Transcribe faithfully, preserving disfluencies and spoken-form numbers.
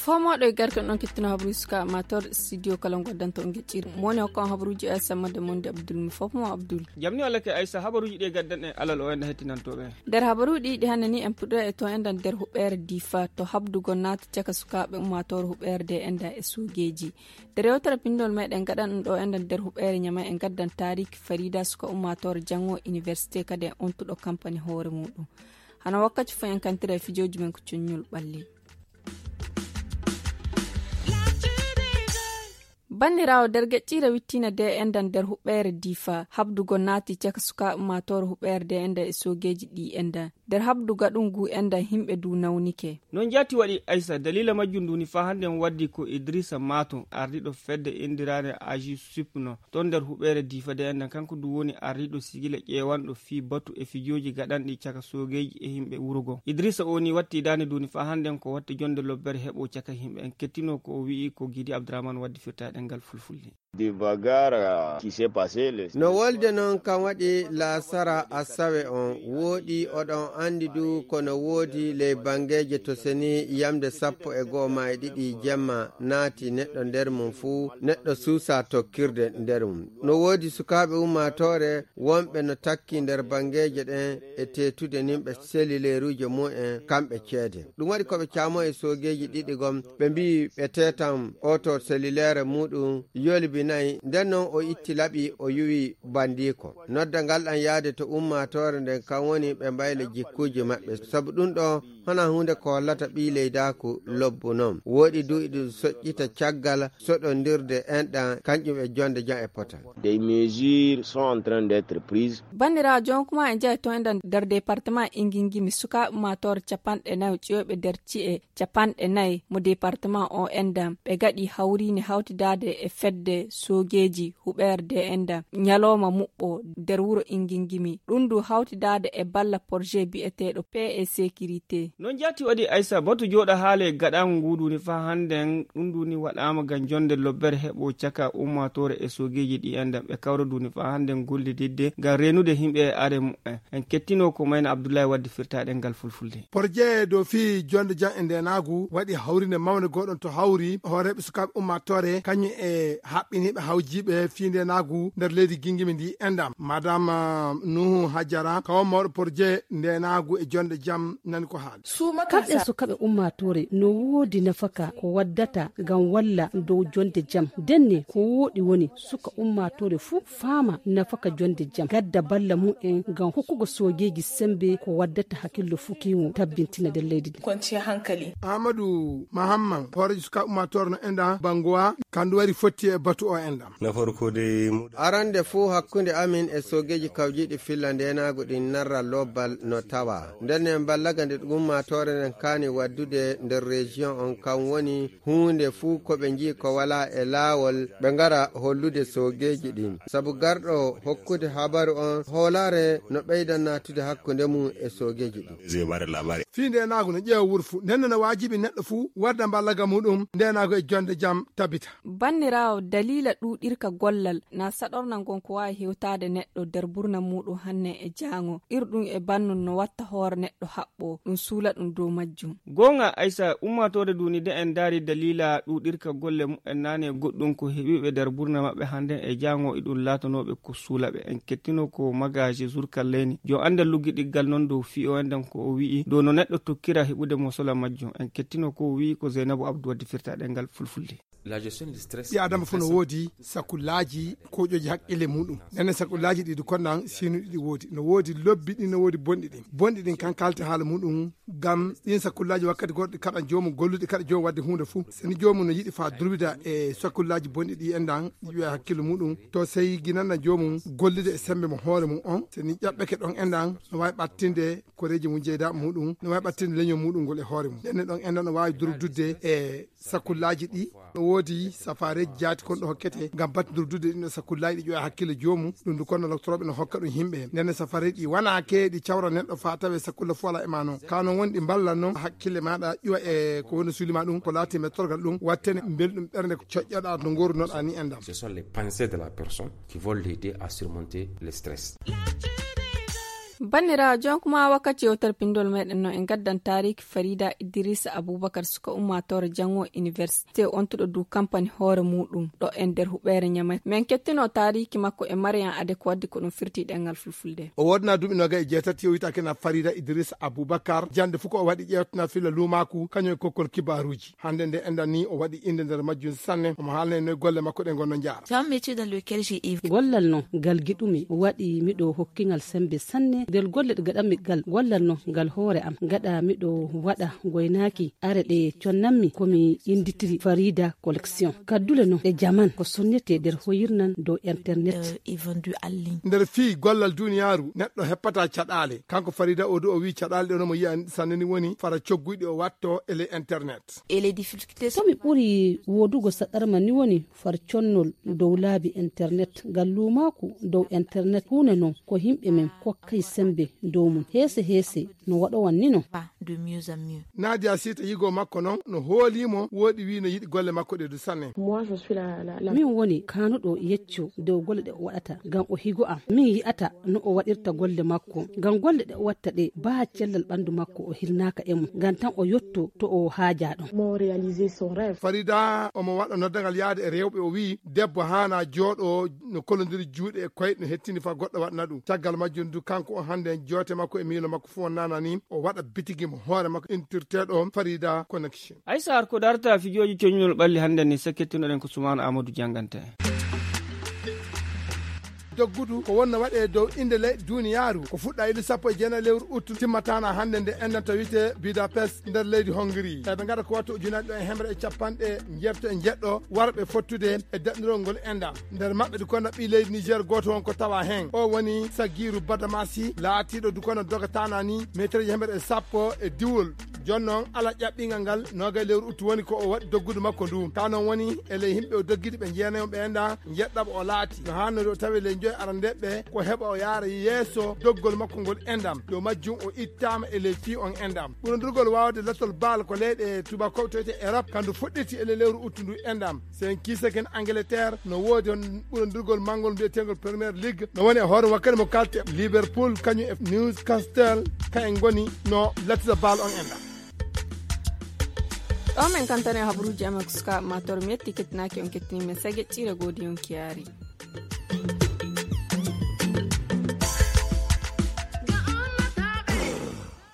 Fomoɗo e garke on kettino habruji suka mator studio kala ngoddanto on geccir moni hokka on habruji o samma de monde abdul mi fof mo abdul. Jamni walla ke aysa habaruji ɗi gaddan e alal o en hettinantoɓe. Nder habaruji ɗi ɗi hannde ni en puɗɗo e to enɗan nder huɓɓere difa to habdugo naati caka sukaɓe ummatore huɓɓere de enɗa e sogeji. Nder yewtere pinndol meɗen gaɗan ɗo enɗan nder huɓɓere ñama en gaddan tariki farida suka ummatore jango université kadi en ontuɗo kampani hoore muɗum. Hano wakkati fof en kantira e fijoji men ko coññol ɓalli. Banndiraawo nder geƴƴiire wittiina de enɗan nder huɓɓeere difa habdugo naati caka sukaaɓe ummaatoore huɓɓeere de enɗan e soogeeji ɗi enɗan nder habduga ɗum ngu enɗan yimɓe du nawnike. Noon jaati waɗi aysa daliila majjum ndu ni faa hannde en waddi ko idrissa maato ardiiɗo fedde inndiraande agi supno toon nder huɓeere difa de enɗan kanko du woni ardiiɗo sigila ƴeewanɗo fii batu e fijooji gaɗanɗi caka soogeeji e yimɓe wuro goo. Idrissa o ni watti daande du ni faa hannde en ko watte jonnde lobbere heɓo caka yimɓe en kettino ko o wi'i ko gidi abdurahman waddi firta e ɗemngal fulfulde. No wolde noon kam waɗi laasara asawe on wooɗi oɗon anndi du ko no woodi ley banngeeje to seni yamde sappo e goo ma e ɗiɗi jemma naati neɗɗo nder mum fuu neɗɗo suusa tokkirde nder mum. No woodi sukaaɓe ummaatoore wonɓe no takki nder banngeeje ɗen e teetude nimɓe selileeruuje mum en kamɓe ceede. Ɗum waɗi ko ɓe caamo e soogeeji ɗiɗi gom ɓe mbi'i ɓe teetan oto selileere muɗum yolibinayi nden non o itti laɓi o yuwi bandiiko. Nodda ngal ɗan yaade to ummaatoore nden kan woni ɓe mbayla jikkuuji maɓɓe sabu ɗum ɗo hana huunde ko hollata ɓii leydaaku lobbu non. Wooɗi du iɗum soƴƴita caggal soɗondirde enɗan kanƴum e jonnde jam e potal. Des mesures sont en train d'être prises. Banndiraawo jonkuma e njahi to enɗan nder département ingingimi sukaaɓe ummaatoore capanɗe nayo ƴiwoɓe nder ci'e capanɗe nayi mo département o enɗan ɓe gaɗi hawriinde hawtidaade e fedde soogeeji huɓeere de enɗan ñalooma muɓɓo nder wuro ingingimi ɗum du hawtidaade e balla projet bi'eteeɗo paix et sécurité. Noon jaati waɗi aysa batu jooɗa haale gaɗaango ngu du ni faa hannden ɗum du ni waɗaama ngam jonnde lobbere heɓo caka ummaatoore e soogeeji ɗi enɗan ɓe kawra du ni faa hannden gollididde ngam reenude yimɓe e are mumen. En kettino ko mayna abdullahi wadde firtaaɗe ngal fulfulde. Porje dow fii jonnde jam e ndeenaagu waɗi hawriinde mawnde gooɗon to hawri hooreeɓe sukaaɓe ummaatoore kañum e haɓɓiniiɓe hawjiiɓe fii ndeenaagu nder leydi gingimi ndi enɗan madame nuhu hajara kawo mawɗo porje ndeenaagu e jonnde jam nani ko haali. Kamɓe sukaaɓe ummaatoore no woodi nafaka ko waddata ngam walla dow jonnde jam denne ko wooɗi woni suka ummaatoore fuu faama nafaka jonnde jam gadda balla mumen ngam hokkugo soogeeji semmbe ko waddata hakkillo fukiimo tabbintina nder leydi ndi. Amadu mahamman hooreejo sukaaɓe ummaatoore no enɗan bangowa kandu wari fotti e batu o enɗan. Arande fuu hakkunde amin e soogeeji kawjiiɗi filla ndeenaagu ɗin narra lobbal no tawa nden en ballaga nde ɗum ummaatoore nden kaani waddude nder région on kan woni huunde fuu ko ɓe njii ko walaa e laawol ɓe ngara hollude soogeeji ɗin sabu garɗo hokkude habaru on hoolaare no ɓeyda naatude hakkunde mum e soogeeji ɗin. Fii ndeenaagu no ƴeewa wuro fuu nden no waajibi neɗɗo fuu wadda mballaga muɗum ndeenaagu e jonnde jam tabita. Banniraawo daliila ɗuuɗirka gollal na saɗorna ngon ko waawi hewtaade neɗɗo nder burna muɗum hanne e jaango irɗum e bannun no watta hoore neɗɗo haɓɓo ɗum suula ɗum dow majjum. Goonga aysa ummaatoore duni de en ndaari daliila ɗuuɗirka golle mumen naane goɗɗum ko heɓiiɓe nder burna maɓɓe hannden e jaango iɗum laatanooɓe ko suulaɓe en kettino ko magaje zurkalleyni jo annda luggiɗiggal noon dow fii o enɗan ko o wi'i dow no neɗɗo tokkira heɓude mosola majjum en kettino ko o wi'i ko zeynabu abdu waddi firtaaɗe ngal fulfulde. Ɓi adama fof no woodi sakullaaji koƴooji haqqille muɗum nene sakullaaji ɗiɗi konnan sinuɗi ɗi woodi no woodi lobbi ɗin no woodi bonɗi ɗin bonɗi ɗin kan kalte haala muɗum ngam ɗin sakullaaji wakkati goɗɗo kaɗa joomum gollude kaɗa joomum wadde huunde fof seni joomum no yiɗi faa durbida e sakullaaji bonɗi ɗi enɗan ɗi ƴuwa hakkille muɗum to sey ginanna joomum gollude e sembe mo hoore mum on seni ƴaɓɓeke ɗon enɗan no waawi ɓattinde koreeji mum jeyda muɗum no waawi ɓattinde leñol muɗum ngol e hoore mum nene ɗon enɗan no waawi durbidde e sakullaaji ɗi. Woodi safareeji jaati kon ɗo hokkete ngam battindirdude ɗin e sakullaaji ɗi ƴoya hakkille joomum. Ɗum du kono lottorooɓe no hokka ɗum yimɓe. Ndenne safareeji ɗi wana keeɗi cawra neɗɗo faa tawe sakulla fof alaa e maa noon. Ka noon woni ɗi mballan noon hakkille maaɗa ƴuwa e ko woni suuli ma ɗum, ko laati mettorgal ɗum, wattene mbelɗum ɓernde ko coƴƴoɗaa no ngoorunoɗaa ni enɗam. Ce sont les pensées de la personne qui vont l'aider à surmonter le stress. Banniraawo, jonkuma wakkati yewtere pinndol meɗen no en gaddan taariki Farida Idrissa Abubakar, suka ummaatoore janngo université, ontuɗo du kampani hoore muɗum ɗo e nder huɓeere Ñamay. Men kettino taariki makko e Mariam Ade ko waddi ko ɗum firti ɗemngal fulfulde. O woodna duuɓi noga e jeetati, o wiyata kena Farida Idrissa Abubakar. Jannde fof ko o waɗi ƴeewtana filla luumaaku, kañum e kokkol kibaaruuji. Hannde nde enɗam ni o waɗi innde nder majjum sanne, omo haalna en noy golle makko ɗe ngonno njaara. C'est un métier dans lequel j'ai évolué. Gollal no ngal giɗumi waɗi miɗo hokkingal sembe sanne nder golle ɗe gaɗanmi gal. Gollal no ngal hoore am gaɗa miɗo waɗa goynaaki are ɗe connanmi ko mi innditiri Farida Collection. Kaddule no ɗe jaman ko sonnete nder hoyirnan dow internet. Euh, et vendu en ligne. Nder fii gollal duniyaaru neɗɗo heppata caɗaale. Kanko Farida o du o wii caɗaale ɗe no mo yiya sanne ni woni fara cogguyɗi o watto e ley internet. Et les difficultés. Ko mi ɓuri woodugo saɗarma ni woni far connol dow laabi internet, ngal luumaaku dow internet, huunde non ko yimɓe men kokkay sembe dow mum. Heese heese no waɗowan ni non. Pas de mieux en mieux. Nadia Sita yigo makko non no hoolimo, wooɗi wi no yiɗi golle makko ɗe du sanne. Moi, je suis la, la, la. Min woni kaanuɗo yecco dow golle ɗe o waɗata, ngam o higo am. Min yi'ata no o waɗirta golle makko, ngam golle ɗe o watta ɗe, baa cellal ɓandu makko o hirnaaka e mum, ngam tan o yotto to o haaja ɗon. Mo réaliser son rêve. Farida omo waɗa noddagal yaade e rewɓe, o wi'i debbo haana jooɗo no kolondiri juuɗe e koyɗe, no hettini fa goɗɗo waɗna ɗum. Caggal majjum du kanko o hannde en joote makko e miilo makko fof wonnana ni o waɗa bitigi mo hoore makko intirteeɗo Farida Connection. Ay Saar, ko darta fijooji coñunol ɓalli hannde ni, sakkittunoɗen ko Sumaana Amadou jannganta en. Doggudu ko wonno waɗe dow innde leyɗe duniyaaru ko fuɗɗa inde sappo e jeenayi lewru uttu, timmatana hannde nde enɗam to wiyte Budapest nder leydi Hongrie. Eɓe ngaɗa ko watta ujunaaji ɗo e hemre e capanɗe njeeto e njeɗɗo warɓe fottude e daɗndirol ngol enɗam. Nder maɓɓe du kono ɓii leydi Niger gooto won ko tawa heen. O woni Sagiru Badamasi, laatiiɗo du kono dogatana ni meetereeji hemre e sappo e diwol. Jooni noon, ala ƴaɓɓingal ngal, noogay lewru uttu woni ko o waɗi doggudu makko ndu. Ka noon woni, e ley yimɓe o doggidi ɓe jeenayi on ɓe enɗam, njeɗɗaɓo o laati. No haannori o tawi ley njoy arandeeɓe ko heɓa o yaara yeeso doggol makko ngol enɗam. Dow majjum o ittaama e ley fii on enɗam. Ɓurondirgol waawde latol baal ko leyɗe tubaakooɓe toyte Europe, kandu fuɗɗiti e ley lewru uttu ndu enɗam. Sen kiisa ken Angleterre, no woodi on ɓurondirgol manngol mbiyeteengol Premier League, no woni e hoore wakkati mo kalte Liverpool, kañum e Newcastle, ka en ngoni no lattita baal on enɗam. Ɗo men kantane habruuji amen ko suka mator mi yetti kettinaaki on kettini men sage ƴiire goodi on kiyaari.